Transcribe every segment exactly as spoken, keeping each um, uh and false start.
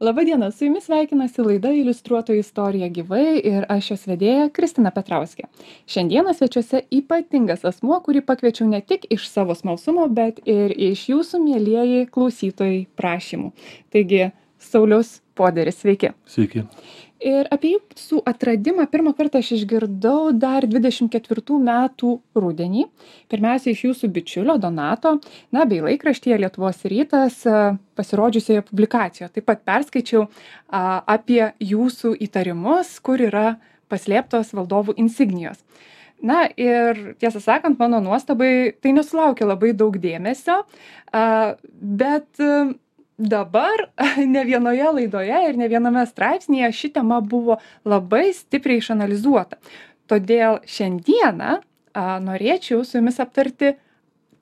Labadiena, su jumis sveikinasi laida Iliustruotoji istorija gyvai ir aš jos vedėja Kristina Petrauskė. Šiandieną svečiuose ypatingas asmuo, kurį pakviečiau ne tik iš savo smalsumo, bet ir iš jūsų mielieji klausytojai prašymų. Taigi, Saulius Poderis, sveiki. Sveiki. Ir apie jūsų atradimą pirmą kartą aš išgirdau dar dvidešimt ketvirtų metų rudenį. Pirmiausia, iš jūsų bičiulio Donato, na, bei laikraštyje Lietuvos rytas pasirodžiusioje publikacijoje. Taip pat perskaičiau a, apie jūsų įtarimus, kur yra paslėptos valdovų insignijos. Na ir tiesą sakant, mano nuostabai tai nesulaukė labai daug dėmesio, a, bet dabar ne vienoje laidoje ir ne viename straipsnyje ši tema buvo labai stipriai išanalizuota. Todėl šiandieną a, norėčiau su jumis aptarti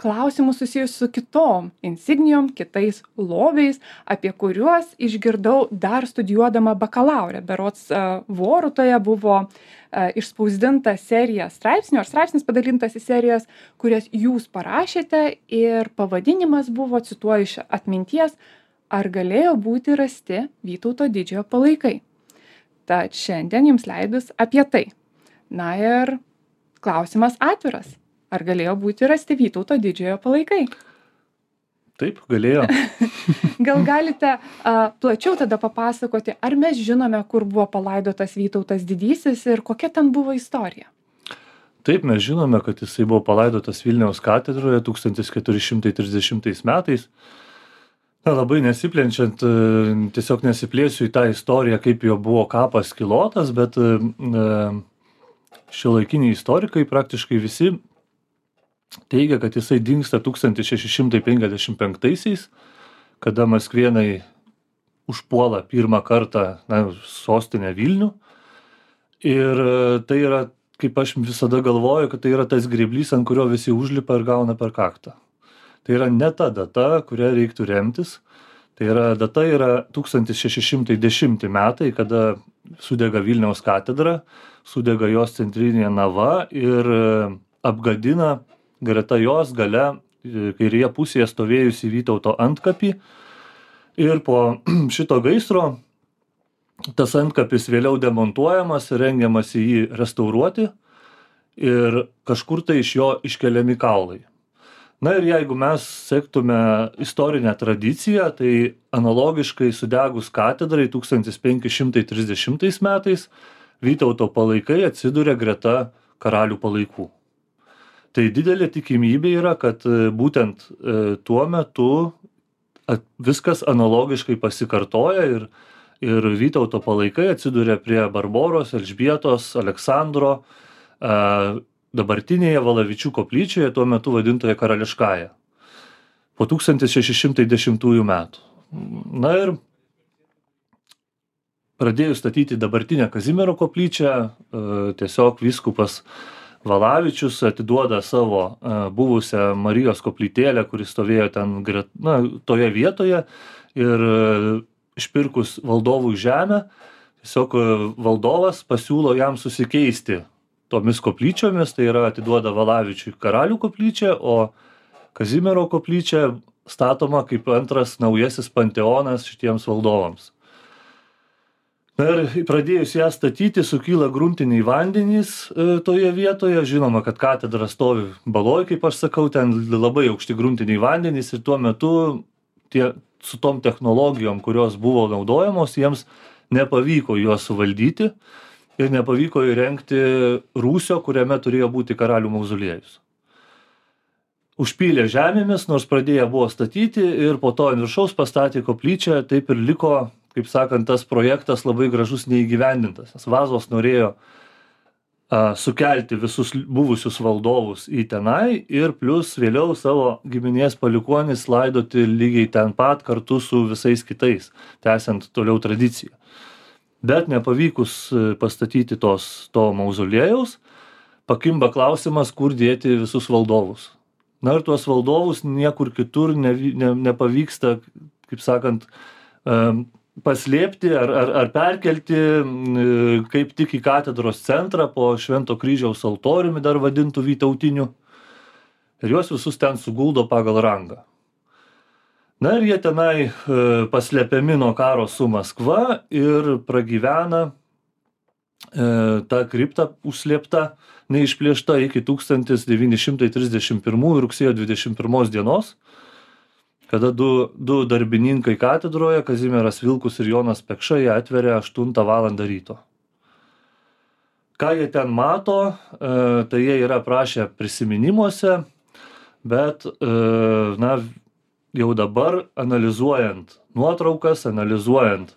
klausimus susijusius su kitom insignijom, kitais lobiais, apie kuriuos išgirdau dar studijuodama bakalaurę. Berods a, Vorutoje buvo a, išspausdinta serija straipsnių, ar straipsnis padalintas į serijas, kurias jūs parašėte ir pavadinimas buvo, cituoju iš atminties, ar galėjo būti rasti Vytauto didžiojo palaikai. Tad šiandien jums leidus apie tai. Na ir klausimas atviras. Ar galėjo būti rasti Vytauto didžiojo palaikai? Taip, galėjo. Gal galite a, plačiau tada papasakoti, ar mes žinome, kur buvo palaidotas Vytautas didysis ir kokia ten buvo istorija? Taip, mes žinome, kad jisai buvo palaidotas Vilniaus katedroje tūkstantis keturi šimtai trisdešimtais metais. Na, labai nesiplenčiant, tiesiog nesiplėsiu į tą istoriją, kaip jo buvo kapas kilotas, bet šiuolaikiniai istorikai praktiškai visi teigia, kad jisai dingsta tūkstantis šeši šimtai penkiasdešimt penktaisiais, kada maskvėnai užpuola pirmą kartą na, sostinę Vilnių. Ir tai yra, kaip aš visada galvoju, kad tai yra tas grėblys, ant kurio visi užlipa ir gauna per kaktą. Tai yra ne ta data, kurią reiktų remtis. Tai yra data yra tūkstantis šeši šimtai dešimti metai, kada sudega Vilniaus katedra, sudega jos centrinė nava ir apgadina greta jos gale kairėje pusėje stovėjusi Vytauto antkapį. Ir po šito gaisro tas antkapis vėliau demontuojamas ir rengiamas jį restauruoti ir kažkur tai iš jo iškeliami kaulai. Na ir jeigu mes sektume istorinę tradiciją, tai analogiškai sudegus katedrai tūkstantis penki šimtai trisdešimtais metais Vytauto palaikai atsiduria greta karalių palaikų. Tai didelė tikimybė yra, kad būtent tuo metu viskas analogiškai pasikartoja ir, ir Vytauto palaikai atsiduria prie Barboros, Elžbietos, Aleksandro, dabartinėje Valavičių koplyčioje, tuo metu vadintoje Karališkąja, po tūkstantis šeši šimtai dešimtųjų metų. Na ir pradėjus statyti dabartinę Kazimiero koplyčią, tiesiog vyskupas Valavičius atiduoda savo buvusią Marijos koplytėlę, kuris stovėjo ten na, toje vietoje ir išpirkus valdovų žemę, tiesiog valdovas pasiūlo jam susikeisti tomis koplyčiomis, tai yra atiduoda Valavičiui karalių koplyčią, o Kazimiero koplyčia statoma kaip antras naujasis panteonas šitiems valdovams. Na ir pradėjus ją statyti, sukyla gruntiniai vandenys toje vietoje. Žinoma, kad katedra stovi baloj, kaip aš sakau, ten labai aukšti gruntiniai vandenys ir tuo metu tie, su tom technologijom, kurios buvo naudojamos, jiems nepavyko juos suvaldyti. Ir nepavyko įrengti rūsio, kuriame turėjo būti karalių mauzoliejus. Užpylė žemėmis, nors pradėję buvo statyti ir po to ant viršaus pastatė koplyčią, taip ir liko, kaip sakant, tas projektas labai gražus neįgyvendintas. Nes Vazos norėjo a, sukelti visus buvusius valdovus į tenai ir plus vėliau savo giminės palikuonis laidoti lygiai ten pat kartu su visais kitais, tęsiant toliau tradiciją. Bet nepavykus pastatyti tos, to mauzoliejaus, pakimba klausimas, kur dėti visus valdovus. Na ir tuos valdovus niekur kitur ne, ne, nepavyksta, kaip sakant, paslėpti ar, ar, ar perkelti kaip tik į katedros centrą po Švento kryžiaus altoriumi, dar vadintų vytautiniu. Ir juos visus ten suguldo pagal rangą. Na ir jie tenai e, paslepiami nuo karo su Maskva ir pragyvena e, ta kripta užslėpta, neišplėšta iki tūkstantis devyni šimtai trisdešimt pirmųjų rugsėjo dvidešimt pirmos dienos, kada du, du darbininkai katedroje, Kazimieras Vilkus ir Jonas Pekša, jie atveria aštuntą valandą ryto. Ką jie ten mato, e, tai jie yra prašę prisiminimuose, bet, e, na, jau dabar analizuojant nuotraukas, analizuojant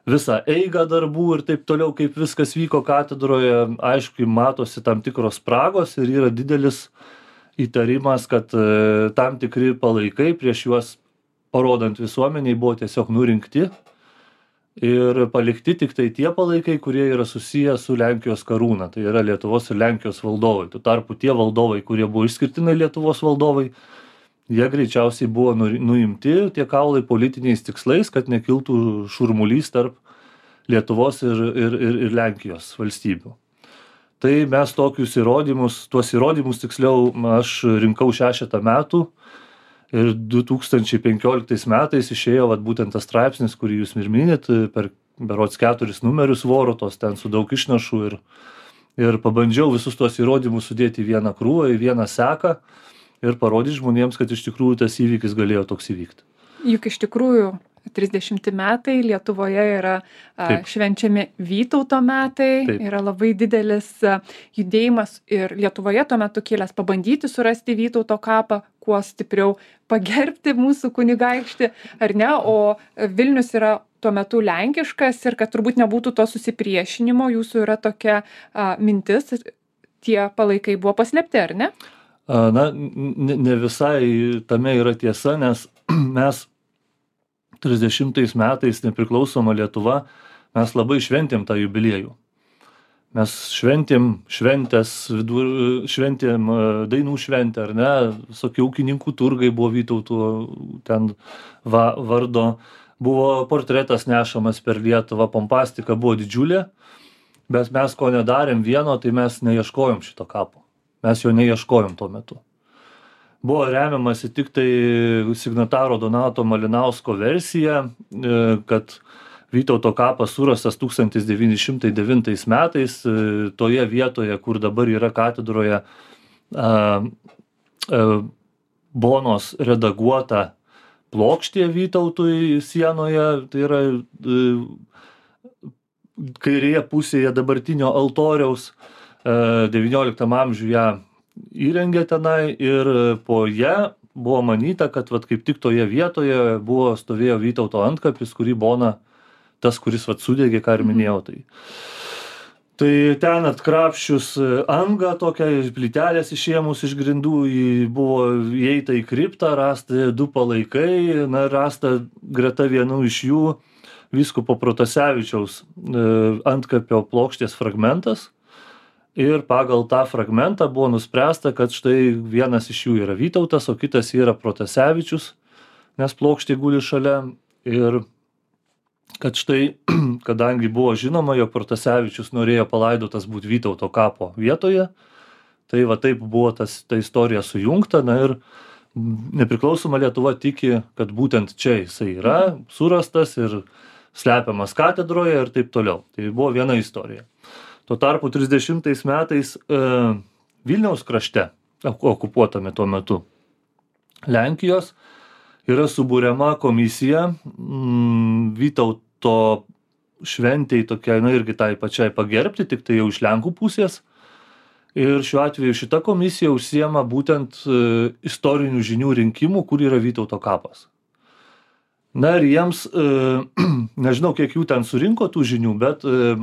visą eigą darbų ir taip toliau, kaip viskas vyko katedroje, aišku, matosi tam tikros spragos ir yra didelis įtarimas, kad e, tam tikri palaikai prieš juos parodant visuomeniai buvo tiesiog nurinkti ir palikti tik tai tie palaikai, kurie yra susiję su Lenkijos karūna, tai yra Lietuvos ir Lenkijos valdovai. Tuo tarpu tie valdovai, kurie buvo išskirtinai Lietuvos valdovai, jie greičiausiai buvo nuimti tie kaulai politiniais tikslais, kad nekiltų šurmulys tarp Lietuvos ir, ir, ir, ir Lenkijos valstybių. Tai mes tokius įrodymus, tuos įrodymus tiksliau aš rinkau šešetą metų ir du tūkstančiai penkioliktais metais išėjo vat, būtent tas straipsnis, kurį jūs ir minit, per berods keturis numerius Vorutos, ten su daug išnašų ir, ir pabandžiau visus tuos įrodymus sudėti į vieną krūvą, į vieną seką ir parodyti žmonėms, kad iš tikrųjų tas įvykis galėjo toks įvykti. Juk iš tikrųjų trisdešimti metai Lietuvoje yra Taip. švenčiami Vytauto metai, Taip. yra labai didelis judėjimas ir Lietuvoje tuo metu kilęs pabandyti surasti Vytauto kapą, kuo stipriau pagerbti mūsų kunigaikštį, ar ne, o Vilnius yra tuo metu lenkiškas ir kad turbūt nebūtų to susipriešinimo, jūsų yra tokia a, mintis, tie palaikai buvo paslėpti, ar ne? Na, ne, ne visai tame yra tiesa, nes mes trisdešimtais metais nepriklausoma Lietuva, mes labai šventėm tą jubiliejų. Mes šventėm šventės, vidur, šventėm dainų šventę, ar ne, visokie ūkininkų turgai buvo Vytauto ten va, vardo, buvo portretas nešamas per Lietuvą, pompastika buvo didžiulė, bet mes ko nedarėm vieno, tai mes neieškojom šito kapo. Mes jo neieškojom tuo metu. Buvo remiamasi tik tai signataro Donato Malinausko versija, kad Vytauto kapas surastas tūkstantis devyni šimtai devintais metais toje vietoje, kur dabar yra katedroje Bonos redaguota plokštė Vytautui sienoje, tai yra kairėje pusėje dabartinio altoriaus. devynioliktam amžiuje ją įrengė tenai ir po ją buvo manyta, kad vat, kaip tik toje vietoje buvo stovėjo Vytauto antkapis, kurį Bona, tas, kuris vat, sudegė, ką ir minėjau. Tai, tai ten atkrapščius angą, tokią plytelės išėmus iš grindų, buvo įeita į kriptą, rasta du palaikai, na, rasta greta vienų iš jų vyskupo Protasevičiaus antkapio plokštės fragmentas. Ir pagal tą fragmentą buvo nuspręsta, kad štai vienas iš jų yra Vytautas, o kitas yra Protasevičius, nes plokštė guli šalia. Ir kad štai, kadangi buvo žinoma, jog Protasevičius norėjo palaidotas būti Vytauto kapo vietoje, tai va taip buvo tas, ta istorija sujungta. Na ir nepriklausoma Lietuva tiki, kad būtent čia jisai yra surastas ir slepiamas katedroje ir taip toliau. Tai buvo viena istorija. Tuo tarpu trisdešimtais metais e, Vilniaus krašte, okupuotame tuo metu Lenkijos, yra suburiama komisija m, Vytauto šventei tokiai, na irgi tai pačiai pagerbti, tik tai jau iš Lenkų pusės. Ir šiuo atveju šita komisija užsiema būtent e, istorinių žinių rinkimų, kur yra Vytauto kapas. Na ir jiems, e, nežinau, kiek jų ten surinko tų žinių, bet e,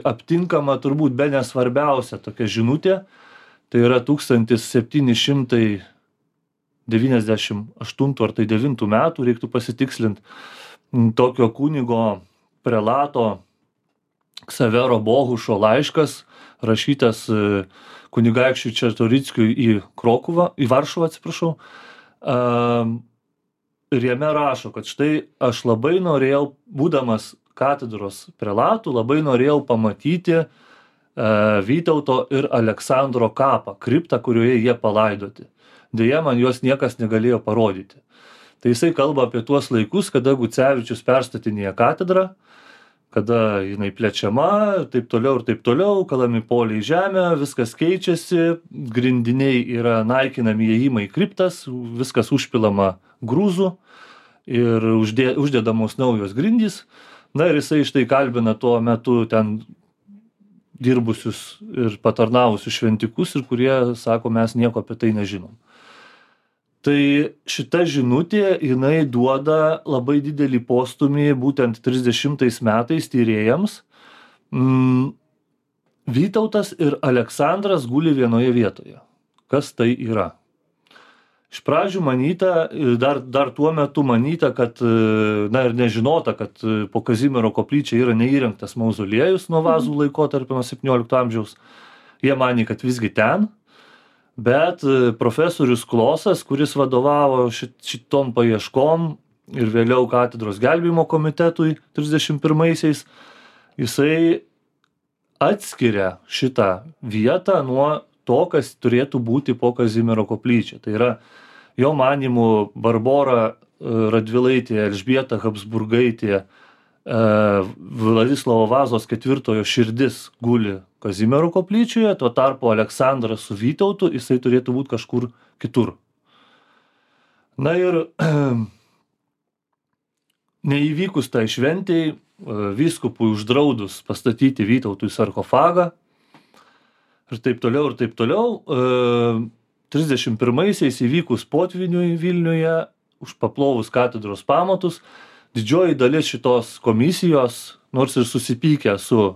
aptinkama turbūt be nesvarbiausia tokia žinutė, tai yra tūkstantis septyni šimtai devyniasdešimt aštuntų ar tai devintų metų, reiktų pasitikslinti, tokio kunigo prelato Ksavero Bohušo laiškas, rašytas kunigaikščiui Čartorickiui į Krokuvą, į Varšuvą, atsiprašau. Ir jame rašo, kad štai aš labai norėjau, būdamas katedros prelatų, labai norėjau pamatyti e, Vytauto ir Aleksandro kapą, kriptą, kurioje jie palaidoti. Deja, man juos niekas negalėjo parodyti. Tai jisai kalba apie tuos laikus, kada Gucevičius perstatinėja katedrą, kada jinai plečiama, taip toliau ir taip toliau, kalami poliai į žemę, viskas keičiasi, grindiniai yra naikinami įėjimai į kriptas, viskas užpilama grūzų ir uždė, uždedamos naujos grindys. Na ir jisai štai kalbina tuo metu ten dirbusius ir patarnavusius šventikus ir kurie sako, mes nieko apie tai nežinom. Tai šita žinutė, jinai duoda labai didelį postumį būtent trisdešimtais metais tyrėjams. Mm, Vytautas ir Aleksandras guli vienoje vietoje. Kas tai yra? Iš pradžių manyta, dar, dar tuo metu manyta, kad, na ir nežinota, kad po Kazimiero koplyčia yra neįrengtas mauzoliejus nuo Vazų laikotarpio nuo septyniolikto amžiaus. Jie manė, kad visgi ten. Bet profesorius Klosas, kuris vadovavo šit, šitom paieškom ir vėliau katedros gelbėjimo komitetui trisdešimt pirmaisiais, jisai atskiria šitą vietą nuo to, kas turėtų būti po Kazimiero koplyčia. Tai yra, jo manymu, Barbora Radvilaitė, Elžbieta Habsburgaitė, Vladislavo Vazos ketvirtojo širdis guli Kazimiero koplyčioje, tuo tarpu Aleksandras su Vytautu, jisai turėtų būti kažkur kitur. Na ir neįvykus tai šventei, vyskupui uždraudus pastatyti Vytautui sarkofagą ir taip toliau ir taip toliau, trisdešimt pirmaisiais įvykus potvyniui Vilniuje, užpaplovus katedros pamatus, didžioji dalis šitos komisijos, nors ir susipykę su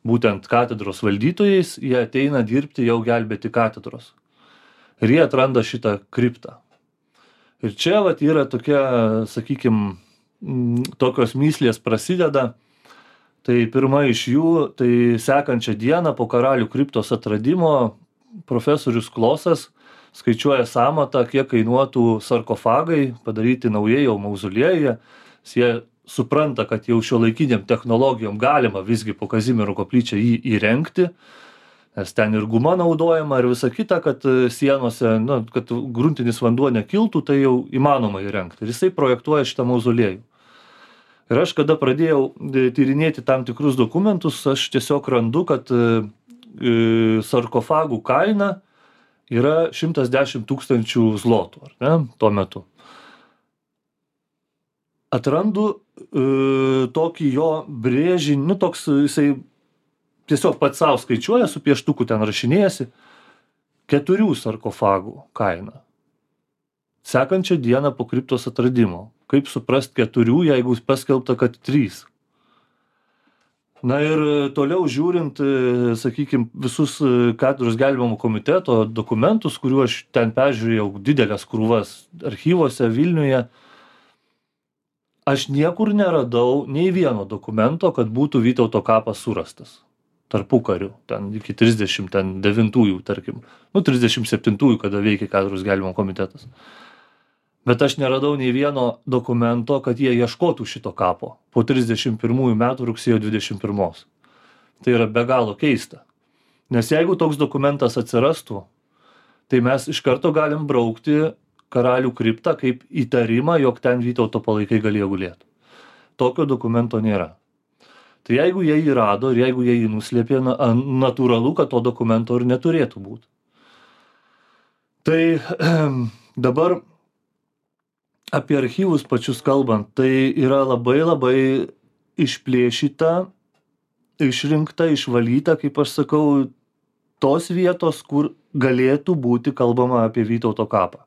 būtent katedros valdytojais, jie ateina dirbti jau gelbėti katedros. Ir jie atranda šitą kriptą. Ir čia vat yra tokia, sakykim, tokios myslės prasideda. Tai pirma iš jų, tai sekančią dieną po Karalių kriptos atradimo profesorius Klosas skaičiuoja sąmatą, kiek kainuotų sarkofagai padaryti naujai jau mauzoliejuje. Jie supranta, kad jau šiuolaikiniam technologijom galima visgi po Kazimiero koplyčią jį įrengti, nes ten ir guma naudojama ir visa kita, kad sienose, nu, kad gruntinis vanduo nekiltų, tai jau įmanoma įrengti. Ir jisai projektuoja šitą mauzoliejų. Ir aš, kada pradėjau tyrinėti tam tikrus dokumentus, aš tiesiog randu, kad sarkofagų kaina yra šimtas dešimt tūkstančių zlotų, ar ne, tuo metu. Atrandu e, tokį jo brėžinį, nu toks jisai tiesiog pats savo skaičiuoja, su pieštuku ten rašinėjasi, keturių sarkofagų kaina. Sekančią dieną po kriptos atradimo. Kaip suprast keturių, jeigu paskelbta, kad trys. Na ir toliau žiūrint, sakykim, visus katedros gelbėjimo komiteto dokumentus, kuriuo aš ten peržiūrėjau didelės krūvas archyvose Vilniuje, aš niekur neradau nei vieno dokumento, kad būtų Vytauto kapas surastas. Tarpukariu, ten iki trisdešimt devintųjų, tarkim. Nu, trisdešimt septintųjų, kada veikia katedros gelbėjimo komitetas. Bet aš neradau nei vieno dokumento, kad jie ieškotų šito kapo po trisdešimt pirmųjų metų rugsėjo dvidešimt pirmos. Tai yra be galo keista. Nes jeigu toks dokumentas atsirastų, tai mes iš karto galim braukti Karalių kriptą kaip įtarimą, jog ten Vytauto palaikai galėjo gulėti. Tokio dokumento nėra. Tai jeigu jie jį rado ir jeigu jie jį nuslėpė, na, natūralu, kad to dokumento ir neturėtų būti. Tai dabar apie archyvus pačius kalbant, tai yra labai labai išplėšyta, išrinkta, išvalyta, kaip aš sakau, tos vietos, kur galėtų būti kalbama apie Vytauto kapą.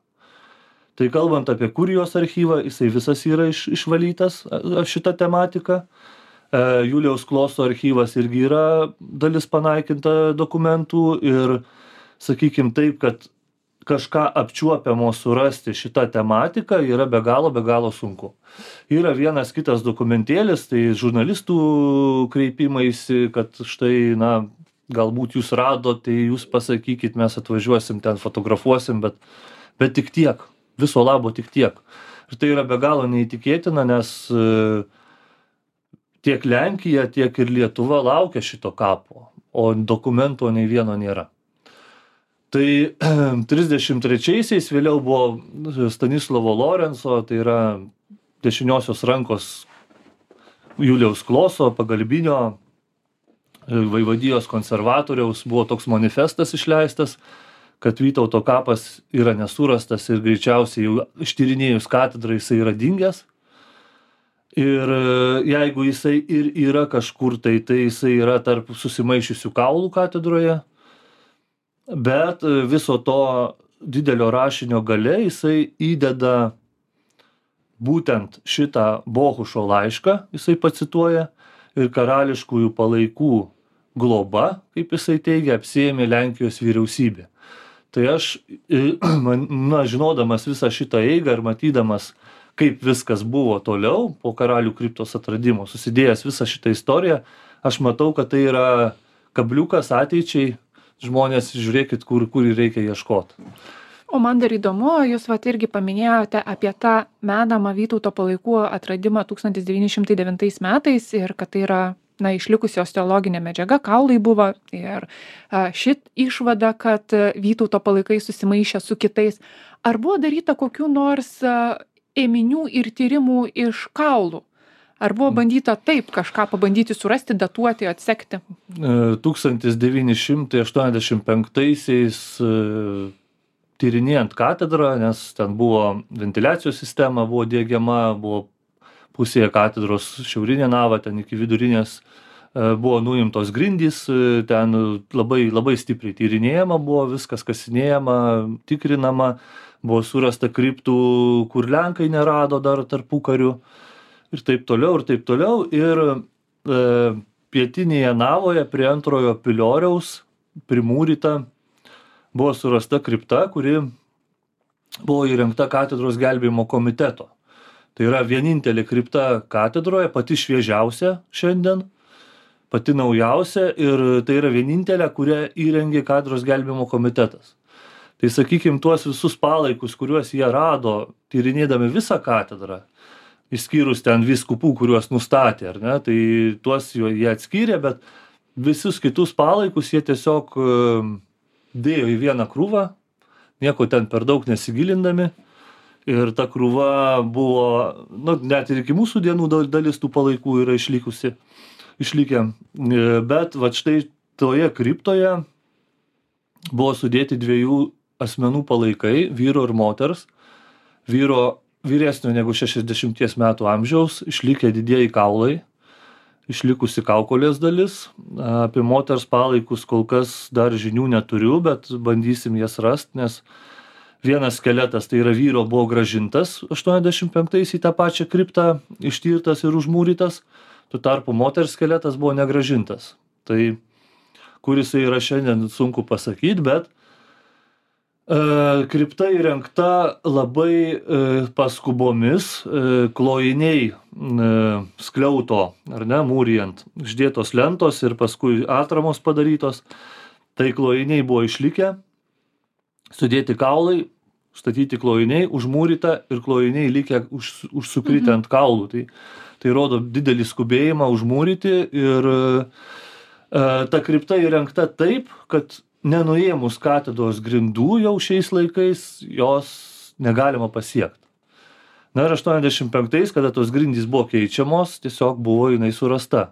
Tai kalbant apie Kurijos archyvą, jisai visas yra iš, išvalytas šitą tematiką. E, Juliaus Kloso archyvas irgi yra dalis panaikinta dokumentų ir sakykim taip, kad kažką apčiuopiamo surasti šitą tematiką yra be galo, be galo sunku. Yra vienas kitas dokumentėlis, tai žurnalistų kreipimaisi, kad štai, na, galbūt jūs radot, tai jūs pasakykit, mes atvažiuosim, ten fotografuosim, bet, bet tik tiek. Viso labo tik tiek. Ir tai yra be galo neįtikėtina, nes tiek Lenkija, tiek ir Lietuva laukia šito kapo, o dokumento nei vieno nėra. Tai trisdešimt trečiaisiais vėliau buvo Stanislovo Lorenco, tai yra dešiniosios rankos Julijaus Kloso, pagalbinio vaivadijos konservatoriaus, buvo toks manifestas išleistas, kad Vytauto kapas yra nesurastas ir greičiausiai jau ištyrinėjus katedrą jisai yra dingęs. Ir jeigu jisai ir yra kažkur, tai, tai jisai yra tarp susimaišiusių kaulų katedroje, bet viso to didelio rašinio gale jisai įdeda būtent šitą Bohušo laišką, jisai pacituoja, ir karališkųjų palaikų globa, kaip jisai teigia, apsiėmė Lenkijos vyriausybė. Tai aš, na, žinodamas visą šitą eigą ir matydamas, kaip viskas buvo toliau po karalių kriptos atradimo, susidėjęs visą šitą istoriją, aš matau, kad tai yra kabliukas ateičiai, žmonės žiūrėkit, kur, kur reikia ieškoti. O man dar įdomu, jūs vat irgi paminėjote apie tą menamą Vytauto palaikų atradimą tūkstantis devyni šimtai devintais metais ir kad tai yra, na, išlikusios teologinė medžiaga, kaulai buvo ir a, šit išvada, kad Vytauto palaikai susimaišė su kitais. Ar buvo daryta kokių nors a, ėminių ir tyrimų iš kaulų? Ar buvo bandyta taip kažką pabandyti surasti, datuoti, atsekti? tūkstantis devyni šimtai aštuoniasdešimt penktaisiais tyrinėjant katedrą, nes ten buvo ventiliacijos sistema, buvo diegiama, buvo pusėje katedros šiaurinė nava, ten iki vidurinės buvo nuimtos grindys, ten labai, labai stipriai tyrinėjama buvo, viskas kasinėjama, tikrinama, buvo surasta kriptų, kur Lenkai nerado dar tarpukariu ir taip toliau, ir taip toliau. Ir e, pietinėje navoje prie antrojo pilioriaus primūryta buvo surasta kripta, kuri buvo įrengta katedros gelbėjimo komiteto. Tai yra vienintelė kripta katedroje, pati šviežiausia šiandien, pati naujausia ir tai yra vienintelė, kurią įrengė katedros gelbėjimo komitetas. Tai sakykim, tuos visus palaikus, kuriuos jie rado, tyrinėdami visą katedrą, išskyrus ten vyskupų, kuriuos nustatė, ar ne, tai tuos jie atskyrė, bet visus kitus palaikus jie tiesiog dėjo į vieną krūvą, nieko ten per daug nesigilindami. Ir ta krūva buvo, nu, net ir iki mūsų dienų dalis tų palaikų yra išlikusi, išlikę. Bet va štai toje kriptoje buvo sudėti dviejų asmenų palaikai, vyro ir moters. Vyro vyresnio negu šešiasdešimties metų amžiaus, išlikę didieji kaulai, išlikusi kaukolės dalis. Apie moters palaikus kol kas dar žinių neturiu, bet bandysim jas rasti, nes vienas skeletas, tai yra vyro, buvo gražintas aštuoniasdešimt penktais į tą pačią kriptą, ištirtas ir užmūrytas, tuo tarpu moters skeletas buvo negražintas. Tai kur jisai yra šiandien sunku pasakyti, bet e, kripta įrengta labai e, paskubomis, e, klojiniai e, skliauto, ar ne, mūrijant, išdėtos lentos ir paskui atramos padarytos, tai klojiniai buvo išlikę, sudėti kaulai, statyti klojiniai, užmūryta ir klojiniai likę už, užsukritę ant kaulų. Tai, tai rodo didelį skubėjimą užmūryti ir e, ta kripta įrengta taip, kad nenuėmus katedros grindų jau šiais laikais jos negalima pasiekti. Na ir aštuoniasdešimt penktais, kada tos grindys buvo keičiamos, tiesiog buvo jinai surasta.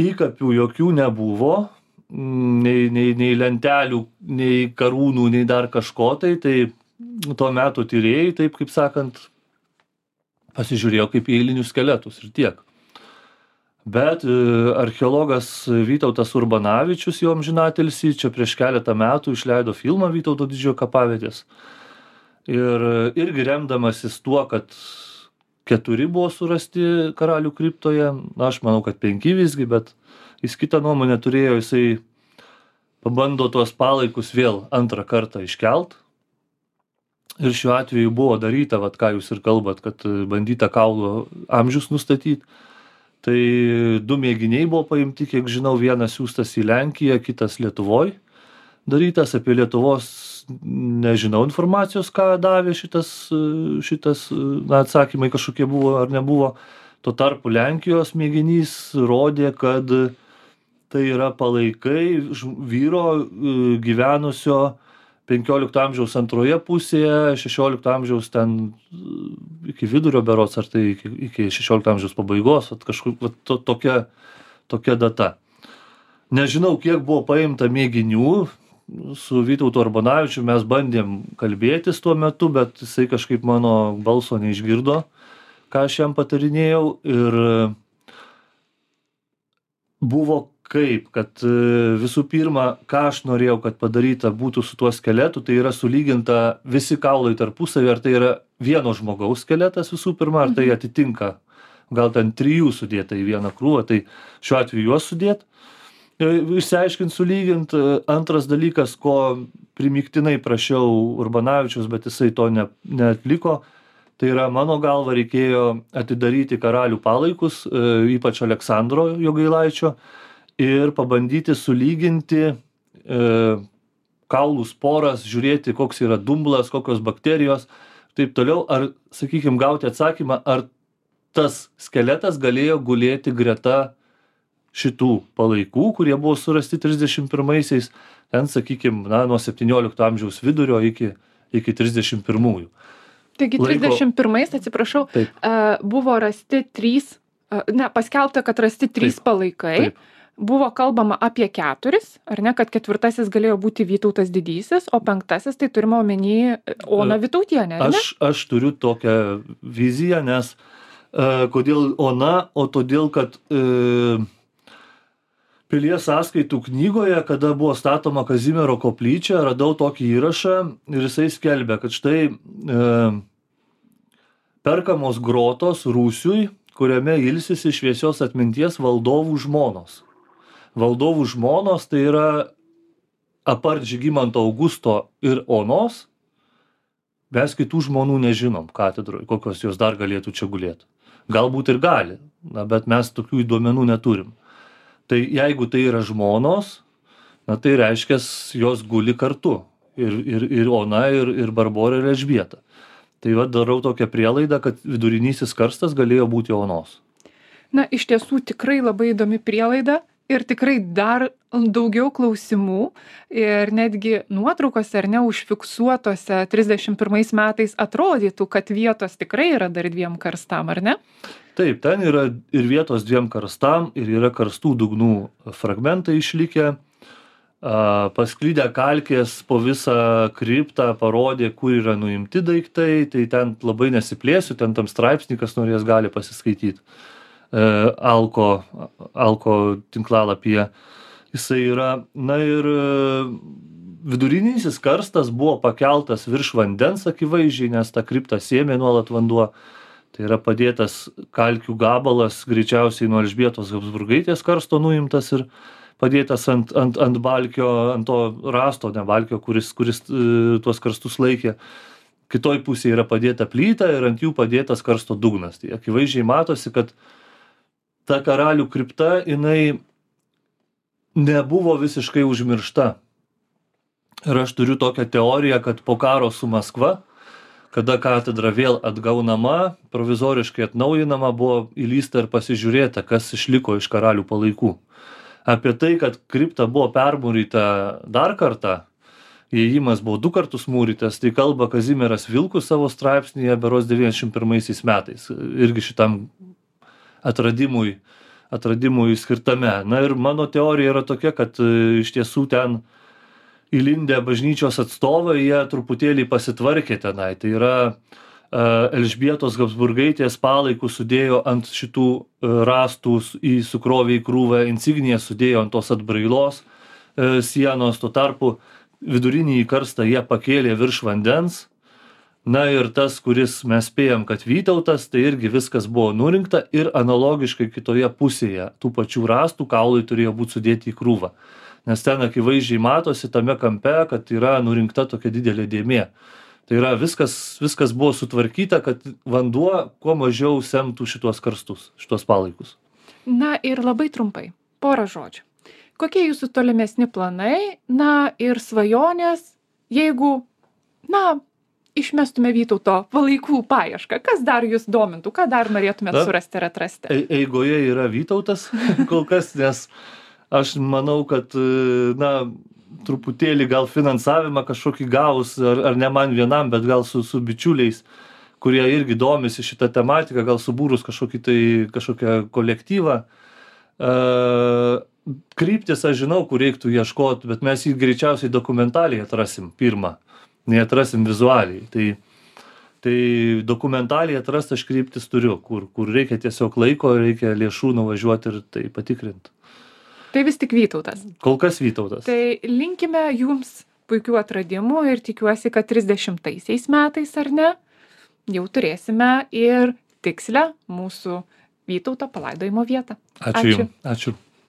Įkapių jokių nebuvo, nei, nei, nei lentelių, nei karūnų, nei dar kažko, tai, tai tuo metu tyrėjai, taip kaip sakant, pasižiūrėjo kaip į eilinius skeletus ir tiek. Bet e, archeologas Vytautas Urbanavičius, jo amžinatilsį, čia prieš keletą metų išleido filmą Vytauto didžiojo kapavietės. Ir irgi remdamasis tuo, kad keturi buvo surasti karalių kriptoje, na, aš manau, kad penki visgi, bet jis kitą nuomonę turėjo, jisai pabando tuos palaikus vėl antrą kartą iškelt. Ir šiuo atveju buvo daryta, vat, ką jūs ir kalbat, kad bandyta kaulų amžius nustatyti. Tai du mėginiai buvo paimti, kiek žinau, vienas siųstas į Lenkiją, kitas Lietuvoj. Darytas apie Lietuvos, nežinau informacijos, ką davė šitas, šitas na, atsakymai kažkokie buvo ar nebuvo. Tuo tarpu Lenkijos mėginys rodė, kad tai yra palaikai vyro gyvenusio penkiolikto amžiaus antroje pusėje, šešiolikto amžiaus ten iki vidurio berods, ar tai iki, iki šešiolikto amžiaus pabaigos, vat kažkur vat to, tokia, tokia data. Nežinau, kiek buvo paimta mėginių, su Vytautu Urbonavičiumi mes bandėm kalbėtis tuo metu, bet jisai kažkaip mano balso neišgirdo, ką aš jam patarinėjau, ir buvo kaip, kad visų pirma, ką aš norėjau, kad padaryta būtų su tuo skeletu, tai yra sulyginta visi kaulai tarpusavį, ar tai yra vieno žmogaus skeletas visų pirma, ar tai atitinka, gal ten trijų sudėta į vieną krūvą, tai šiuo atveju juos sudėt, išsiaiškint, sulygint. Antras dalykas, ko primiktinai prašiau Urbonavičiaus, bet jisai to ne, neatliko, tai yra mano galva reikėjo atidaryti karalių palaikus, ypač Aleksandro Jogailaičio, ir pabandyti sulyginti e, kaulų sporas, žiūrėti, koks yra dumblas, kokios bakterijos, taip toliau, ar, sakykime, gauti atsakymą, ar tas skeletas galėjo gulėti greta šitų palaikų, kurie buvo surasti trisdešimt pirmaisiais, ten, sakykime, na, nuo septyniolikto amžiaus vidurio iki, iki trisdešimt pirmųjų. Taigi trisdešimt pirmais, atsiprašau, Taip. buvo rasti trys, ne, paskelbta, kad rasti trys Taip. palaikai. Taip. Buvo kalbama apie keturis, ar ne, kad ketvirtasis galėjo būti Vytautas Didysis, o penktasis tai turime omeny Oną Vytautienę, ar ne? Aš, aš turiu tokią viziją, nes e, kodėl Ona, o todėl, kad e, Pilies sąskaitų knygoje, kada buvo statoma Kazimiero koplyčia, radau tokį įrašą ir jisai skelbia, kad štai e, perkamos grotos Rūsiui, kuriame ilsisi šviesios atminties valdovų žmonos. Valdovų žmonos tai yra apart Žygimanto Augusto ir Onos, mes kitų žmonų nežinom katedroje, kokios jos dar galėtų čia gulėti. Galbūt ir gali, na, bet mes tokių duomenų neturim. Tai jeigu tai yra žmonos, na, tai reiškia, jos guli kartu. Ir, ir, ir Ona, ir, ir Barbora, ir Elžbieta. Tai va, darau tokią prielaidą, kad vidurinysis karstas galėjo būti Onos. Na, iš tiesų tikrai labai įdomi prielaida ir tikrai dar daugiau klausimų ir netgi nuotraukose ar ne užfiksuotose trisdešimt pirmais metais atrodytų, kad vietos tikrai yra dar dviem karstam, ar ne? Taip, ten yra ir vietos dviem karstam, ir yra karstų dugnų fragmentai išlikę. Pasklydę kalkės po visą kriptą parodė, kur yra nuimti daiktai, tai ten labai nesiplėsiu, ten tam straipsnį, kas norės, gali pasiskaityti. Alko, Alko tinklalapyje jisai yra. Na ir vidurinysis karstas buvo pakeltas virš vandens akivaizdžiai, nes tą kriptą sėmė nuolat vanduo. Tai yra padėtas kalkių gabalas, greičiausiai nuo Elžbietos Habsburgaitės karsto nuimtas ir padėtas ant, ant, ant balkio, ant to rasto, ne balkio, kuris, kuris e, tuos karstus laikė. Kitoj pusėje yra padėta plyta ir ant jų padėtas karsto dugnas. Tai akivaizdžiai matosi, kad ta karalių kripta, jinai nebuvo visiškai užmiršta. Ir aš turiu tokią teoriją, kad po karo su Maskva, kada katedra vėl atgaunama, provizoriškai atnaujinama, buvo įlysta ir pasižiūrėta, kas išliko iš karalių palaikų. Apie tai, kad kripta buvo permūryta dar kartą, įėjimas buvo du kartus mūrytas, tai kalba Kazimieras Vilkus savo straipsnyje berods devyniasdešimt pirmaisiais metais, irgi šitam atradimui, atradimui skirtame. Na ir mano teorija yra tokia, kad iš tiesų ten įlindę bažnyčios atstovai, jie truputėlį pasitvarkė tenai. Tai yra Elžbietos Habsburgaitės palaikus sudėjo ant šitų rastų, į sukrovė į krūvą, insigniją sudėjo ant tos atbrailos sienos, tuo tarpu vidurinį karstą jie pakėlė virš vandens. Na ir tas, kuris mes spėjom, kad Vytautas, tai irgi viskas buvo nurinkta ir analogiškai kitoje pusėje tų pačių rastų kaulai turėjo būti sudėti į krūvą. Nes ten akivaizdžiai matosi tame kampe, kad yra nurinkta tokia didelė dėmė. Tai yra viskas, viskas buvo sutvarkyta, kad vanduo kuo mažiau semtų šitos karstus, šitos palaikus. Na ir labai trumpai, porą žodžių. Kokie jūsų tolimesni planai, na ir svajonės, jeigu, na, išmestume Vytauto palaikų paiešką, kas dar jūs domintų, ką dar norėtumėt surasti ir atrasti? Eigoje yra Vytautas kol kas, nes aš manau, kad, na, truputėlį gal finansavimą kažkokį gavus, ar, ar ne man vienam, bet gal su, su bičiuliais, kurie irgi domisi šitą tematiką, gal subūrus kažkokį tai, kažkokią kolektyvą. Uh, kryptis aš žinau, kur reiktų ieškoti, bet mes jį greičiausiai dokumentaliai atrasim pirmą, nei atrasim vizualiai. Tai, tai dokumentaliai atrast aš kryptis turiu, kur, kur reikia tiesiog laiko, reikia lėšų nuvažiuoti ir tai patikrinti. Tai vis tik Vytautas. Kol kas Vytautas. Tai linkime jums puikių atradimų ir tikiuosi, kad trisdešimtaisiais metais, ar ne, jau turėsime ir tikslę mūsų Vytauto palaidojimo vietą. Ačiū. Ačiū. Ačiū.